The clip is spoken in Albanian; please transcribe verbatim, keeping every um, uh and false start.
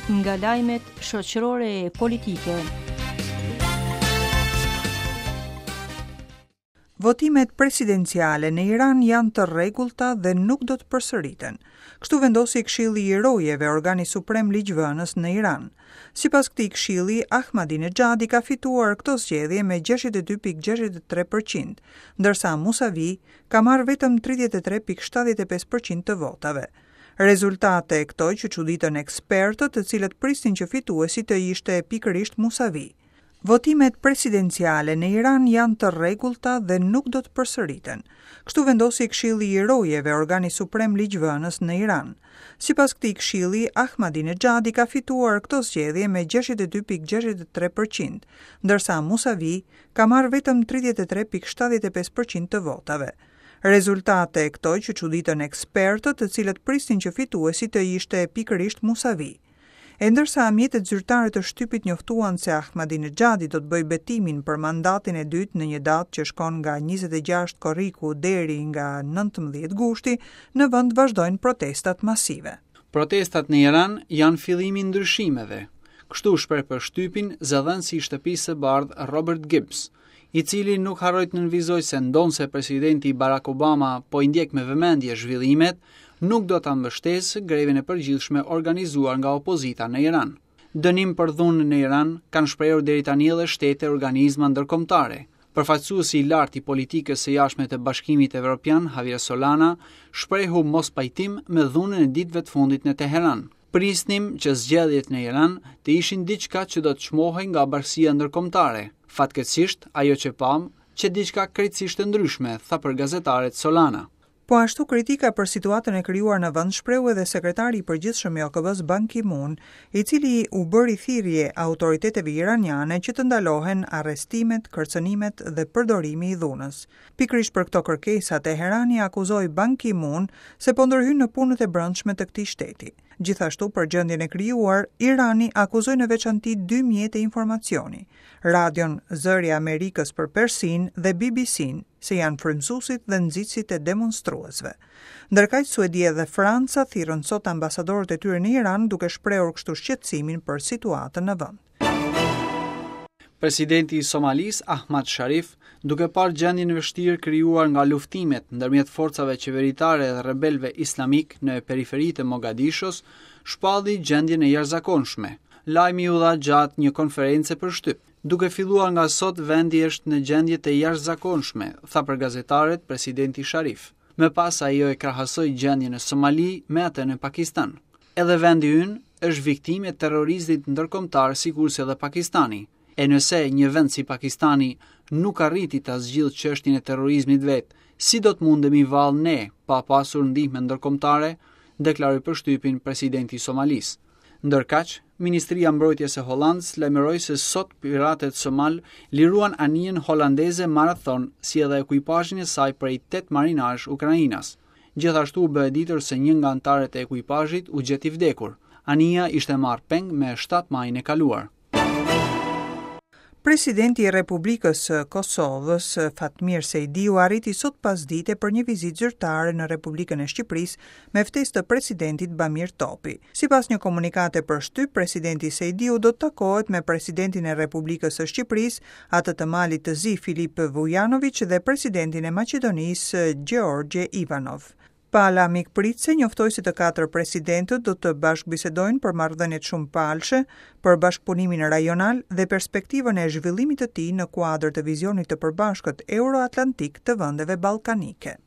Nga lajmet shoqërore e politike. Votimet presidenciale në Iran janë të rregullta dhe nuk do të përsëriten. Kështu vendosi Këshilli i Rojeve, organi suprem ligjvënës në Iran. Sipas këtij këshilli, Ahmadinejadi ka fituar këto zgjedhje me gjashtëdhjetë e dy pikë gjashtëdhjetë e tre përqind, ndërsa Musavi ka marrë vetëm tridhjetë e tre pikë shtatëdhjetë e pesë përqind të votave. Rezultate këto që çuditën ekspertët, të cilët prisnin që fituesi të ishte pikërisht Musavi. Votimet presidenciale në Iran janë të rregullta dhe nuk do të përsëriten. Kështu vendosi Këshilli i Rojeve, organi suprem ligjvënës në Iran. Sipas këtij këshilli, Ahmadinejadi ka fituar këto zgjedhje me gjashtëdhjetë e dy pikë gjashtëdhjetë e tre përqind, ndërsa Musavi ka marrë vetëm tridhjetë e tre pikë shtatëdhjetë e pesë përqind të votave. Rezultate këto që çuditën ekspertët, të cilët prisnin që fituesi të ishte pikërisht Musavi. E ndërsa mjetet zyrtare të shtypit njoftuan se Ahmadinejadi do të bëjë betimin për mandatin e dytë në një datë që shkon nga njëzet e gjashtë korriku deri nga nëntëmbëdhjetë gushti, në vend vazhdojnë protestat masive. Protestat në Iran janë fillimi i ndryshimeve. Kështu shpreh për shtypin zëdhënësi i Shtëpisë së Bardhë Robert Gibbs, i cili nuk harroi të nënvizoj se ndonse presidenti Barack Obama po i ndjek me vëmendje zhvillimet, nuk do ta mbështesë grevën e përgjithshme organizuar nga opozita në Iran. Dënim për dhunën në Iran kanë shprehur deri tani edhe shtete e organizma ndërkombëtare. Përfaqësuesi i lartë i politikës së jashtme të Bashkimit Evropian, Javier Solana, shprehu mospajtim me dhunën e ditëve të fundit në Teheran. Prisnim që zgjedhjet në Iran të ishin diçka që do të çmohej nga bashkësia ndërkombëtare. Fatkeqësisht, ajo që pam, që diçka krejtësisht e ndryshme, tha për gazetaret Solana. Po ashtu kritika për situatën e krijuar në vend shprehu edhe sekretari i përgjithshëm i O K B-s Ban Ki-moon, i cili u bëri thirrje autoriteteve iraniane që të ndalohen arrestimet, kërcënimet dhe përdorimi i dhunës. Pikërisht për këto kërkesa, Teherani akuzoi Ban Ki-moon se po ndërhyn në punët e brendshme të këtij shteti. Gjithashtu për gjendjen e krijuar, Irani akuzoi në veçanti dy mjete informacioni, radion Zëri i Amerikës për Persinë dhe B B C-n, se janë frymëzuesit dhe nxitësit e demonstruesve. Ndërkaq Suedia dhe Franca thirrën sot ambasadorët e tyre në Iran duke shprehur kështu shqetësimin për situatën në vend. Presidenti i Somalisë, Ahmad Sharif, duke parë gjendjen e vështirë krijuar nga luftimet ndërmjet forcave qeveritare dhe rebelëve islamik në periferi të Mogadishos, shpalli gjendjen e jashtëzakonshme. Lajmi u dha gjatë një konference për shtyp. Duke filluar nga sot, vendi është në gjendje të jashtëzakonshme, tha për gazetarët presidenti Sharif. Më pas ajo e krahasoi gjendjen në Somali me atë në Pakistan. Edhe vendi ynë është viktimë e terrorizmit ndërkombëtar sikurse edhe Pakistani. E nëse një vend si Pakistani nuk arriti ta zgjidhë çështjen e terrorizmit vet, si do të mundemi vallë ne pa pasur ndihmë ndërkombëtare, deklaroi për shtypin presidenti i Somalisë. Ndërkaq, Ministria e Mbrojtjes e Hollandës lajmëroi se sot piratët somal liruan anijen holandeze Marathon si edhe ekuipazhin e saj prej tetë marinarësh ukrainas. Gjithashtu u bë e ditur se një nga anëtarët e ekuipazhit u gjet i vdekur. Anija ishte marrë peng me shtatë majin e kaluar. Presidenti i Republikës së Kosovës, Fatmir Sejdiu, arriti sot pasdite për një vizitë zyrtare në Republikën e Shqipërisë me ftesë të presidentit Bamir Topi. Sipas një komunikate për shtyp, presidenti Sejdiu do të takohet me presidentin e Republikës së Shqipërisë, atë të Malit të Zi Filip Vujanović dhe presidentin e Maqedonisë Gheorghe Ivanov. Pala mikpritse njoftoi se të katër presidentët do të bashkëbisedojnë për marrëdhëniet shumëpalëshe, për bashkëpunimin rajonal dhe perspektivën e zhvillimit të tij në kuadër të vizionit të përbashkët euroatlantik të vendeve ballkanike.